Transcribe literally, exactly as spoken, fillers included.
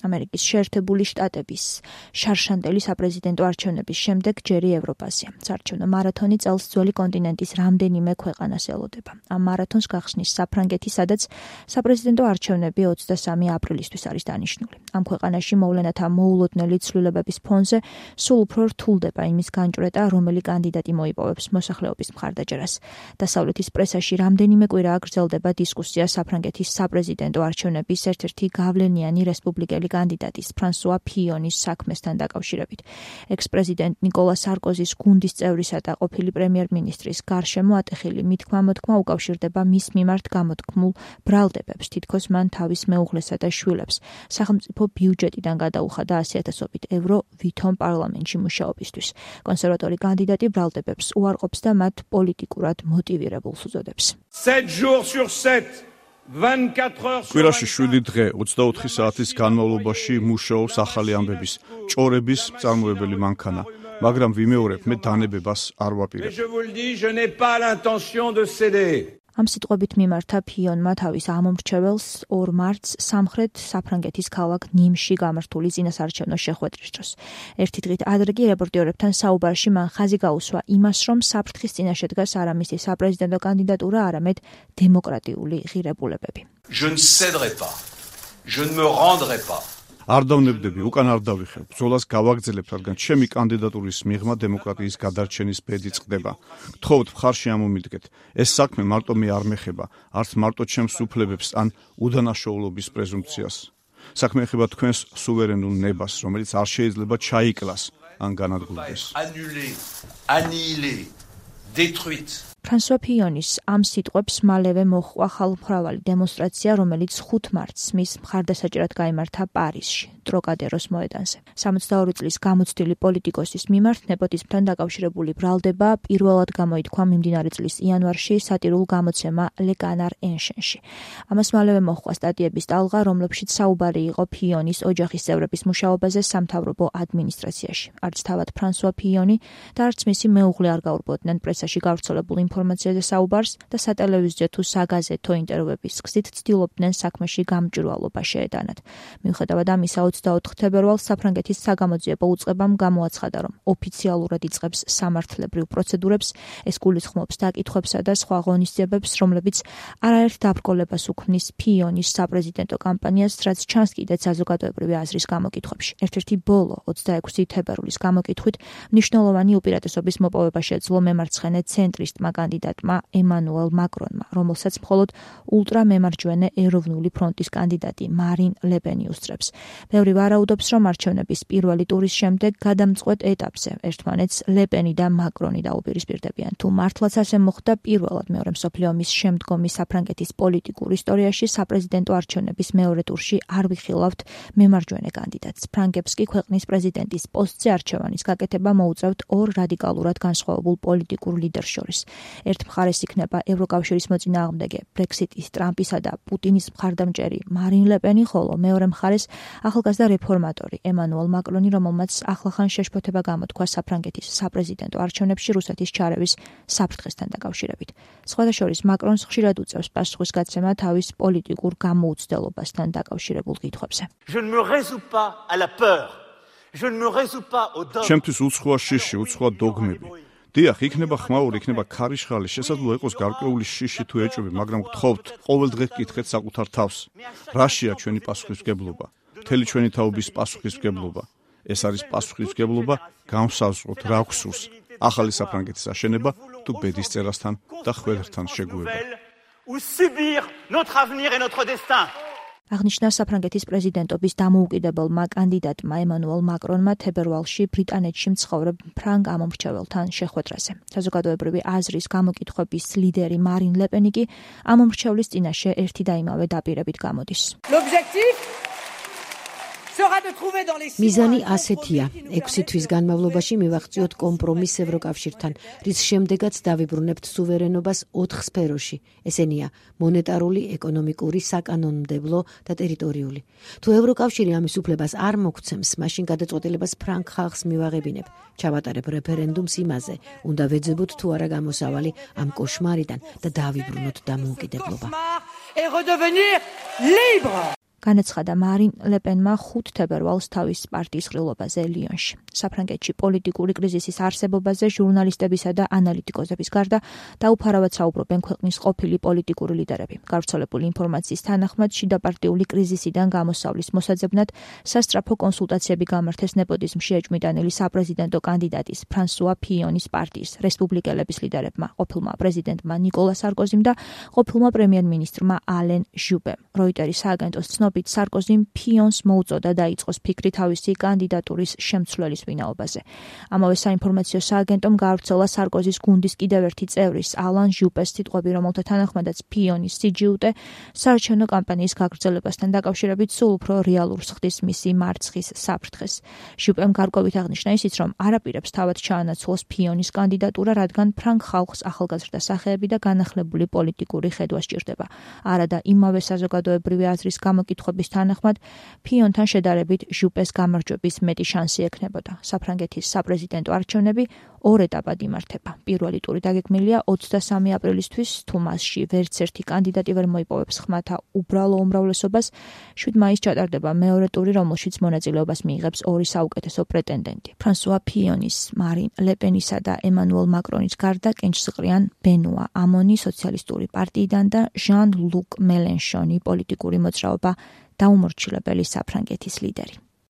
ამერიკის შეერთებული შტატების შარშანდელი საპრეზიდენტო არჩევნების შემდეგ ჯერი ევროპაზია. საარჩევნო მარათონი წელს ძველი კონტინენტის რამდენიმე ქვეყანას ელოდება. ამ მარათონს გახსნის საფრანგეთი, სადაც საპრეზიდენტო არჩევნები ოცდასამი აპრილისთვის არის დანიშნული. ამ ქვეყანაში მოვლენათა მოულოდნელი ცვლილებების ფონზე სულ უფრო რთულდება იმის განჭვრეტა, რომელი კანდიდატი მოიპოვებს მოსახლეობის მხარდაჭერას. დასავლეთის პრესაში რამდენიმე კვირაა გრძელდება დისკუსია საფრანგეთის საპრეზიდენტო არჩევნების ერთ-ერთი გავლენიანი რესპუბლიკელი კანდიდატის ფრანსუა ფიონის საქმესთან დაკავშირებით. ექს-პრეზიდენტ ნიკოლა სარკოზის გუნდის წევრისა და ყოფილი პრემიერ-მინისტრის გარშემო ატეხილი მithქმა-მოთქმა უკავშირდება მის მიმართ გამოთქმულ ბრალდებებს, თითქოს მან თავის მეუღლესა და შვილებს სახელმწიფო ბიუჯეტიდან გადაუხადა ასი ათასობით ევრო ვითომ პარლამენტში მუშაობისთვის. კონსერვატორი კანდიდატი ბრალდებებს უარყოფს და მათ პოლიტიკურად მოტივირებულს უწოდებს. კვირაში შვიდი დღე ოცდაოთხი საათის განმავლობაში მუშაობს ახალი ამბების ჭორების მწარმოებელი მანქანა, მაგრამ ვიმეორებ, მე დანებებას არ ვაპირებ. ამ სიტყვებით მიმართა ფიონმა თავის ამომრჩეველს ორ მარტს სამხრეთ საფრანგეთის ქალაქ ნიმში გამართული წინასაარჩევნო შეხვედრის დროს. ერთი დღით ადრე კი რეპორტიორებთან საუბარში მან ხაზი გაუსვა იმას, რომ საფრთხის წინაშე დგას არა მისი საპრეზიდენტო კანდიდატურა, არამედ დემოკრატიული ღირებულებები. Je ne céderai pas. Je ne me rendrai pas. არ დავნებდები, უკან არ დავიხევ. ბრძოლას გავაგრძელებ, რადგან ჩემი კანდიდატურის მიღმა დემოკრატიის გადარჩენის ბედი წყდება. გთხოვთ, მხარში ამომიდგეთ. ეს საქმე მარტო მე არ მეხება, არც მარტო ჩემს უფლებებს ან უდანაშაულობის პრეზუმპციას. საქმე ეხება თქვენს სუვერენულ ნებას, რომელიც არ შეიძლება ჩაიკლას ან განადგურდეს. ფრანსუა ფიონის ამ სიტყვებს მალევე მოჰყვა ხალხმრავალი დემონსტრაცია, რომელიც ხუთ მარტს მის მხარდასაჭერად გაიმართა პარიზში, ტროკადეროს მოედანზე. სამოცდაორი წლის გამოცდილი პოლიტიკოსის მიმართ ნეპოტიზმთან დაკავშირებული ბრალდება პირველად გამოითქვა მიმდინარე წლის იანვარში სატირულ გამოცემა Le Canard Enchaîné. ამას მალევე მოჰყვა სტატიების ტალღა, რომლებშიც საუბარი იყო ფიონის ოჯახის წევრების მუშაობაზე სამთავრობო ადმინისტრაციაში. არც თავად ფრანსუა ფიონი და არც მისი მეუღლე არ გაურბოდნენ პრესაში გავრცელებულ ინფორმაციაზე საუბარს და სატელევიზიო თუ საგაზეთო ინტერვიუების გზით ცდილობდნენ საქმეში გამჭვირვალობა შეეტანათ. მიუხედავად ამისა, ოცდაოთხ თებერვალს საფრანგეთის საგამოძიებო უწყებამ გამოაცხადა, რომ ოფიციალურად იწყებს სამართლებრივ პროცედურებს, ეს გულისხმობს დაკითხვებსა და სხვა ღონისძიებებს, რომლებიც არაერთ დაბრკოლებას უქმნის ფიონის საპრეზიდენტო კამპანიას, რაც ჩანს კიდეც საზოგადოებრივი აზრის გამოკითხვებში. ერთ-ერთი ბოლო ოცდაექვსი თებერვლის გამოკითხვით მნიშვნელოვანი უპირატესობის მოპოვება შეძლო მემარცხენე ცენტრისტმა კანდიდატმა ემანუელ მაკრონმა, რომელსაც მხოლოდ ულტრამემარჯვენე ეროვნული ფრონტის კანდიდატი მარინ ლე პენი უსწრებს. ბევრი ვარაუდობს, რომ არჩევნების პირველი ტურის შემდეგ გადამწყვეტ ეტაპზე ერთმანეთს ლე პენი და მაკრონი დაუპირისპირდებიან. თუ მართლაც ასე მოხდა, პირველად მეორე მსოფლიო ომის შემდგომი საფრანგეთის პოლიტიკურ ისტორიაში საპრეზიდენტო არჩევნების მეორე ტურში არ ვიხილავთ მემარჯვენე კანდიდატს. ფრანგებს კი ქვეყნის პრეზიდენტის პოსტზე არჩევანის გაკეთება მოუწევთ ორ რადიკალურად განსხვავებულ პოლიტიკურ ლიდერს შორის. ერთ მხარეს იქნება ევროკავშირის მოწინააღმდეგე ბრექსიტის ტრამპისა და პუტინის მხარდამჭერი მარინ ლე პენი, ხოლო მეორე მხარეს ახალგაზრდა რეფორმატორი ემანუელ მაკრონი, რომელმაც ახლახან შეშფოთება გამოთქვა საფრანგეთის საპრეზიდენტო არჩევნებში რუსეთის ჩარევის საფრთხესთან დაკავშირებით. სხვადასხვა მაკრონს ხშირად უწევს პასუხისგაცემა თავის პოლიტიკურ გამოუცდელობასთან დაკავშირებულ კითხვებზე. ჩემთვის უცხოა შიში, უცხოა დოგმები. დიახ, იქნება ხმაური, იქნება ქარიშხალი, შესაძლოა იყოს გარკვეული შიში თუ ეჭვები, მაგრამ გთხოვთ, ყოველ დღე გკითხეთ საკუთარ თავს. რაშია ჩვენი პასუხისმგებლობა? მთელი ჩვენი თაობის პასუხისმგებლობა. ეს არის პასუხისმგებლობა განსაზღვროთ რა გვსურს, ახალი საფრანგეთის აშენება თუ ბედისწერასთან და ხვედრთან შეგუება. აღნიშნა საფრანგეთის პრეზიდენტობის დამოუკიდებელმა კანდიდატმა ემანუელ მაკრონმა თებერვალში ბრიტანეთში მცხოვრებ ფრანგ ამომრჩეველთან შეხვედრაზე. საზოგადოებრივი აზრის გამოკითხვების ლიდერი მარინ ლე პენი კი ამომრჩევლის წინაშე ერთი და იმავე დაპირებით გამოდის. მიზანი ასეთია: ექვსი თვის განმავლობაში მივახციოთ კომპრომისს ევროკავშირთან, რის შემდეგაც დავიბრუნებთ სუვერენობას ოთხ სფეროში. ესენია მონეტარული, ეკონომიკური, საკანონმდებლო და ტერიტორიული. თუ ევროკავშირი ამის უფლებას არ მოგცემს, მაშინ გადაწყვეტილებას ფრანგ ხალხს მივაღებინებ. ჩავატარებ რეფერენდუმს იმაზე, უნდა ვეძებოთ თუ არა გამოსავალი ამ კოშმარიდან და დავიბრუნოთ დამოუკიდებლობა. განაცხადა მარინ ლეპენმა ხუთ თებერვალს თავის პარტიის ყრილობაზე ლიონში. საფრანგეთში პოლიტიკური კრიზისის არსებობაზე ჟურნალისტებისა და ანალიტიკოსების გარდა დაუფარავად საუბრობენ ქვეყნის ყოფილი პოლიტიკური ლიდერები. გავრცელებული ინფორმაციის თანახმად შიდაპარტიული კრიზისიდან გამოსავლის მოსაძებნად სასწრაფო კონსულტაციები გამართეს ნეპოტიზმში ეჭვმიტანილი საპრეზიდენტო კანდიდატის ფრანსუა ფიონის პარტიის რესპუბლიკელების ლიდერებმა, ყოფილმა პრეზიდენტმა ნიკოლა სარკოზიმ და ყოფილმა პრემიერ-მინისტრმა ალენ ჟუპემ. როიტერის სააგენტოს ცნობით სარკოზიმ ფიონს მოუწოდა დაიწყოს ფიქრი თავისი კანდიდატურის შემცვლელის ვინაობაზე. ამავე საინფორმაციო სააგენტომ გაავრცელა სარკოზის გუნდის კიდევ ერთი წევრის ალან ჟუპეს სიტყვები, რომელთა თანახმადაც ფიონის სიჯიუტე საარჩევნო კამპანიის გაგრძელებასთან დაკავშირებით სულ უფრო რეალურს ხდის მისი მარცხის საფრთხეს. ჟუპემ გარკვევით აღნიშნა ისიც, რომ არაპირებს თავად ჩაანაცვლოს ფიონის კანდიდატურა, რადგან ფრანგ ხალხს ახალგაზრდა სახეები და განახლებული პოლიტიკური ხედვა სჭირდება. არა და იმავე საზოგადოებრივი აზრის გამოკითხვების თანახმად ფიონთან შედარებით ჟუპეს გამარჯვების მეტი შანსი ექნებოდა. საფრანგეთის საპრეზიდენტო არჩევნები ორ ეტაპად იმართება. პირველი ტური დაგეგმილია ოცდასამი აპრილისთვის, თუ მასში ვერც ერთი კანდიდატი ვერ მოიპოვებს ხმათა უბრალო უმრავლესობას, შვიდ მაისს ჩატარდება მეორე ტური, რომელშიც მონაწილეობას მიიღებს ორი საუკეთესო პრეტენდენტი. ფრანსუა ფიონის, მარინ ლეპენისა და ემანუელ მაკრონის გარდა კენჭს ყრიან ბენუა ამონი სოციალისტური პარტიიდან და ჟან ლუკ მელენშონი პოლიტიკური მოძრაობა დაუმორჩილებელი საფრანგეთის ლიდერი.